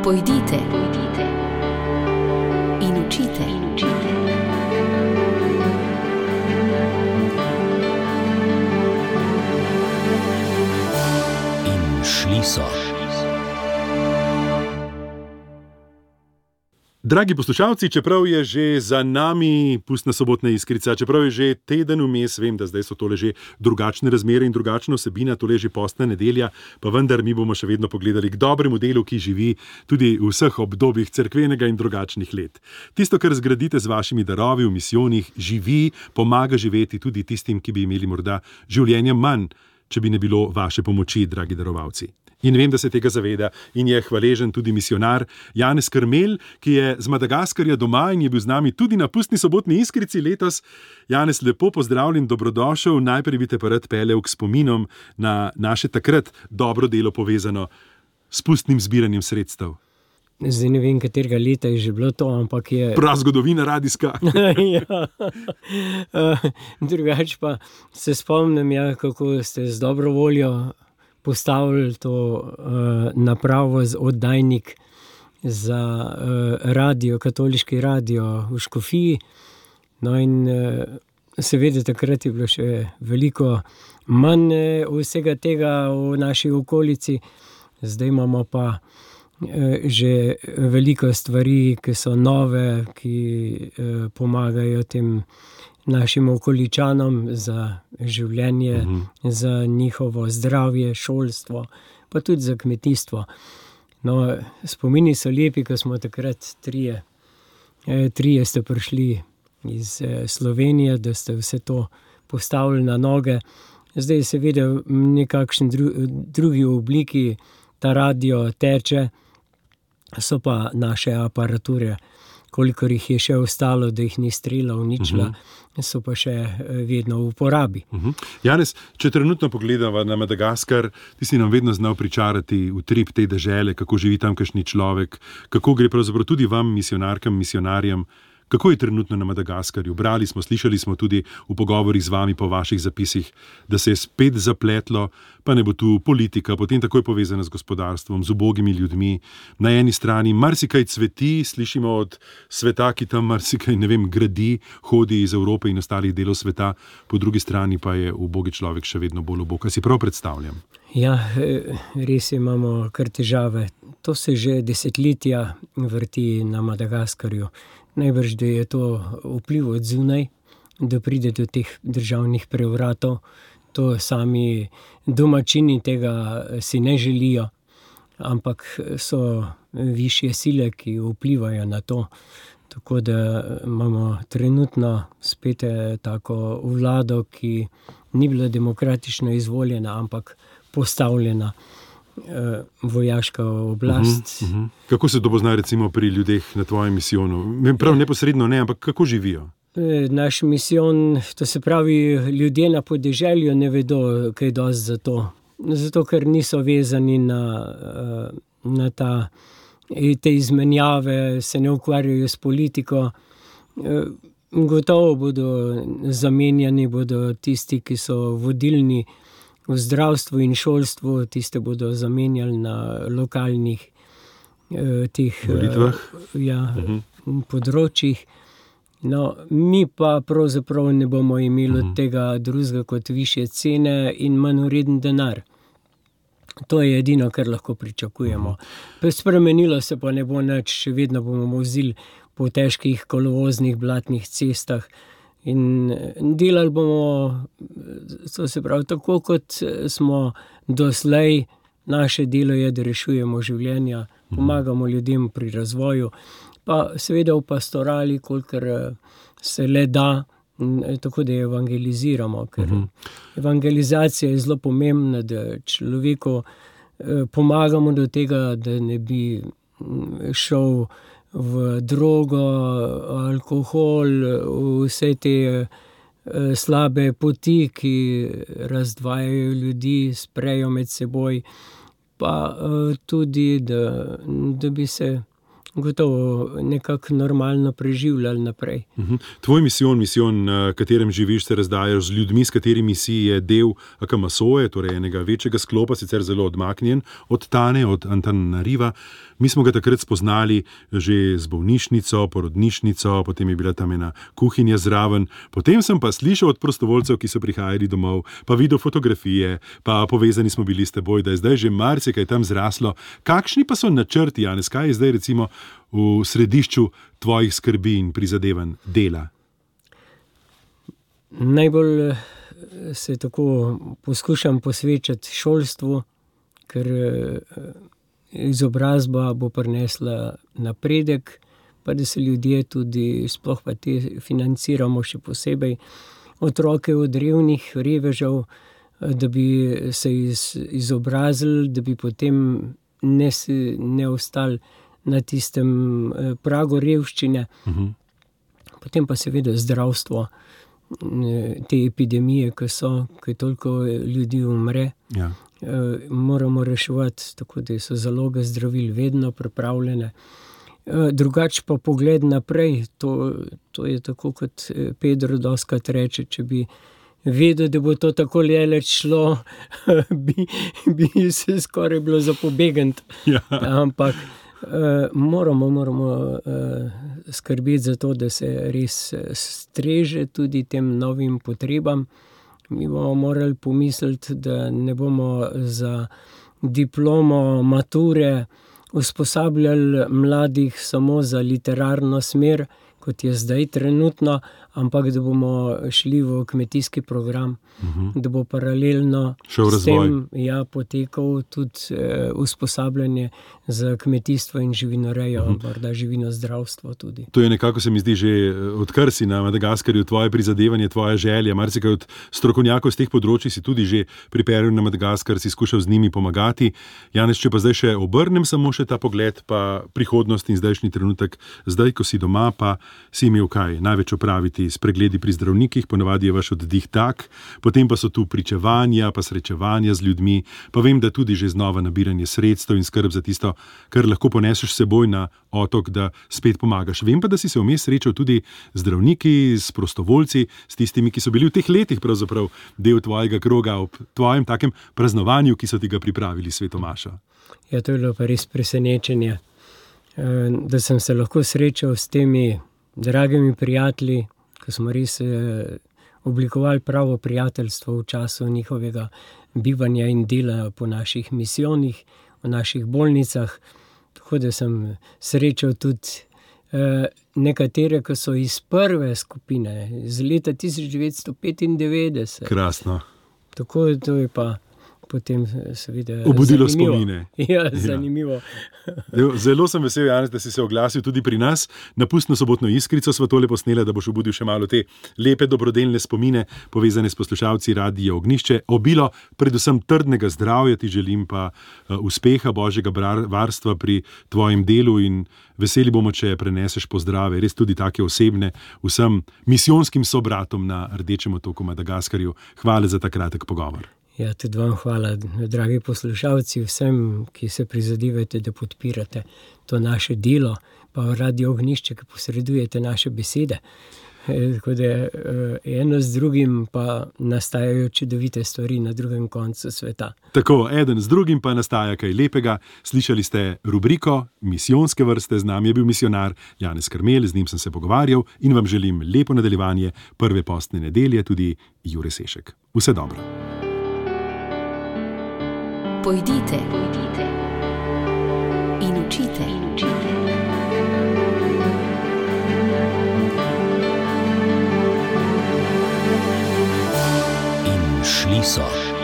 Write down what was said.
Pojdite in učite. In šli so. Dragi poslušalci, čeprav je že za nami pustna sobotna iskrica, čeprav je že teden vmes, vem, da zdaj so tole že drugačne razmere in drugačna vsebina, tole je že postna nedelja, pa vendar mi bomo še vedno pogledali k dobremu delu, ki živi tudi v vseh obdobjih cerkvenega in drugačnih let. Tisto, kar zgradite z vašimi darovi v misijonih, živi, pomaga živeti tudi tistim, ki bi imeli morda življenja manj, če bi ne bilo vaše pomoči, dragi darovalci. In vem, da se tega zaveda in je hvaležen tudi misionar Janez Krmelj, ki je z Madagaskarja doma in je bil z nami tudi na pustni sobotni iskrici letos. Janez, lepo pozdravljen, dobrodošel. Najprej bi te pa rad peljal k spominom na naše takrat dobro delo povezano s pustnim zbiranjem sredstev. Zdaj ne vem, katerega leta je že bilo to, ampak je... Prazgodovina radijska. Ja. Drugače pa se spomnim, kako ste z dobro voljo postavili to napravo z oddajnik za radio, katoliški radio v Škofiji. No in seveda takrat je bilo še veliko manj vsega tega v naši okolici. Zdaj imamo pa že veliko stvari, ki so nove, ki pomagajo tem našim okoličanom za življenje, za njihovo zdravje, šolstvo, pa tudi za kmetijstvo. No, spomini so lepi, ko smo takrat trije ste prišli iz Slovenije, da ste vse to postavili na noge. Zdaj seveda v nekakšni drugi obliki ta radio teče, so pa naše aparature, kolikor jih je še ostalo, da jih ni strela, uničila, so pa še vedno v uporabi. Janez, če trenutno pogledava na Madagaskar, ti si nam vedno znal pričarati utrip te dežele, kako živi tamkajšnji človek, kako gre pravzaprav tudi vam, misionarkam, misionarjem. Kako je trenutno na Madagaskarju? Brali smo, slišali smo tudi v pogovorih z vami po vaših zapisih, da se je spet zapletlo, pa ne bo tu politika, potem takoj povezana z gospodarstvom, z ubogimi ljudmi. Na eni strani marsikaj cveti, slišimo od sveta, ki tam marsikaj, gradi, hodi iz Evrope in ostalih delov sveta, po drugi strani pa je ubogi človek še vedno bolj ubog. Kaj si prav predstavljam? Ja, res imamo kar težave. To se že desetletja vrti na Madagaskarju. Najbrž, da je to vpliv od zunaj, da pride do teh državnih prevratov. To sami domačini tega si ne želijo, ampak so višje sile, ki vplivajo na to. Tako da imamo trenutno spet tako vlado, ki ni bila demokratično izvoljena, ampak postavljena vojaška oblast. Kako se to pozna recimo pri ljudeh na tvojem misijonu? Prav neposredno ne, ampak kako živijo? Naš misijon, to se pravi, ljudje na podeželju ne vedo kaj dosti za to. Zato, ker niso vezani na te izmenjave, se ne ukvarjajo s politiko. Gotovo bodo zamenjani, bodo tisti, ki so vodilni v zdravstvu in šolstvu, tiste bodo zamenjali na lokalnih volitvah, področjih. No, mi pa pravzaprav ne bomo imeli od tega drugega kot višje cene in manj vreden denar. To je edino, kar lahko pričakujemo. Spremenilo se pa ne bo nič, še vedno bomo vozili po težkih kolovoznih blatnih cestah. In delali bomo, to se pravi, tako kot smo doslej. Naše delo je, da rešujemo življenja, pomagamo ljudem pri razvoju, pa seveda v pastorali, kolikor se le da, tako da evangeliziramo. Ker evangelizacija je zelo pomembna, da človeku pomagamo do tega, da ne bi šel v drogo, alkohol, vse te slabe poti, ki razdvajajo ljudi, sprejo med seboj, pa tudi, da bi se gotovo nekako normalno preživljali naprej. Tvoj misijon, na katerem živiš, se razdajaš z ljudmi, s katerimi si je del Akamasoje, torej enega večjega sklopa, sicer zelo odmaknjen od Tane, od Antananariva. Mi smo ga takrat spoznali že z bolnišnico, porodnišnico, potem je bila tam ena kuhinja zraven. Potem sem pa slišal od prostovoljcev, ki so prihajali domov, pa videl fotografije, pa povezani smo bili s teboj, da je zdaj že marsikaj tam zraslo. Kakšni pa so načrti, Janez, kaj je zdaj recimo v središču tvojih skrbi in prizadevanj dela? Najbolj se tako poskušam posvečati šolstvu, ker izobrazba bo prinesla napredek, pa da se ljudje tudi, sploh pa te financiramo še posebej, otroke od revnih revežev, da bi se izobrazili, da bi potem ne ostali na tistem pragu revščine. Potem pa seveda zdravstvo, te epidemije, ko toliko ljudi umre. Ja. Moramo reševati, tako da so zaloge zdravil vedno pripravljene. Drugače pa pogled naprej, to je tako, kot Pedro dostikrat reče, če bi vedel, da bo to tako daleč šlo, bi se skoraj bilo za pobegniti. Ja. Ampak moramo skrbeti za to, da se res streže tudi tem novim potrebam. Mi bomo morali pomisliti, da ne bomo za diplomo mature usposabljali mladih samo za literarno smer, kot je zdaj trenutno, ampak da bomo šli v kmetijski program, da bo paralelno s tem potekal tudi usposabljanje za kmetijstvo in živinorejo, morda živinozdravstvo tudi. To je nekako, se mi zdi, že odkar si na Madagaskarju, tvoje prizadevanje, tvoja želja. Marsikaj od strokovnjakov z teh področij si tudi že pripeljal na Madagaskar, si skušal z njimi pomagati. Janez, če pa zdaj še obrnem samo še ta pogled, pa prihodnost in zdajšnji trenutek, zdaj, ko si doma, pa si imel kaj največ opraviti s pregledi pri zdravnikih, ponavadi je vaš oddih tak, potem pa so tu pričevanja, pa srečevanja z ljudmi, pa vem, da tudi že znova nabiranje sredstev in skrb za tisto, kar lahko poneseš s seboj na otok, da spet pomagaš. Vem pa, da si se vmes srečal tudi z zdravniki, s prostovoljci, s tistimi, ki so bili v teh letih pravzaprav del tvojega kroga ob tvojem takem praznovanju, ki so ti ga pripravili svetomaša. Ja, to je bilo pa res presenečenje, da sem se lahko srečal s temi dragimi prijatelji, ko smo res oblikovali pravo prijateljstvo v času njihovega bivanja in dela po naših misijonih, v naših bolnicah. Tako da sem srečal tudi nekatere, ki so iz prve skupine, iz leta 1995. Krasno. Tako da to je pa potem seveda obudilo zanimivo. Spomine. Ja, zanimivo. Zelo sem vesel, Janez, da si se oglasil tudi pri nas. Na Pustno sobotno iskrico sva tole posnela, da boš obudil še malo te lepe dobrodelne spomine, povezane s poslušalci Radia Ognjišče. Obilo predvsem trdnega zdravja ti želim, pa uspeha, božjega varstva pri tvojem delu in veseli bomo, če preneseš pozdrave, res tudi take osebne, vsem misijonskim sobratom na Rdečem otoku Madagaskarju. Hvala za ta kratek pogovor. Ja, tudi vam hvala, dragi poslušalci, vsem, ki se prizadevate, da podpirate to naše delo, pa Radio Ognjišče, ki posredujete naše besede. Tako da eno z drugim pa nastajajo čudovite stvari na drugem koncu sveta. Tako, eden z drugim pa nastaja kaj lepega. Slišali ste rubriko Misijonske vrste, z nami je bil misijonar Janez Krmelj, z njim sem se pogovarjal in vam želim lepo nadaljevanje prve postne nedelje, tudi Jure Sešek. Vse dobro. Pojdite in učite. In šli so.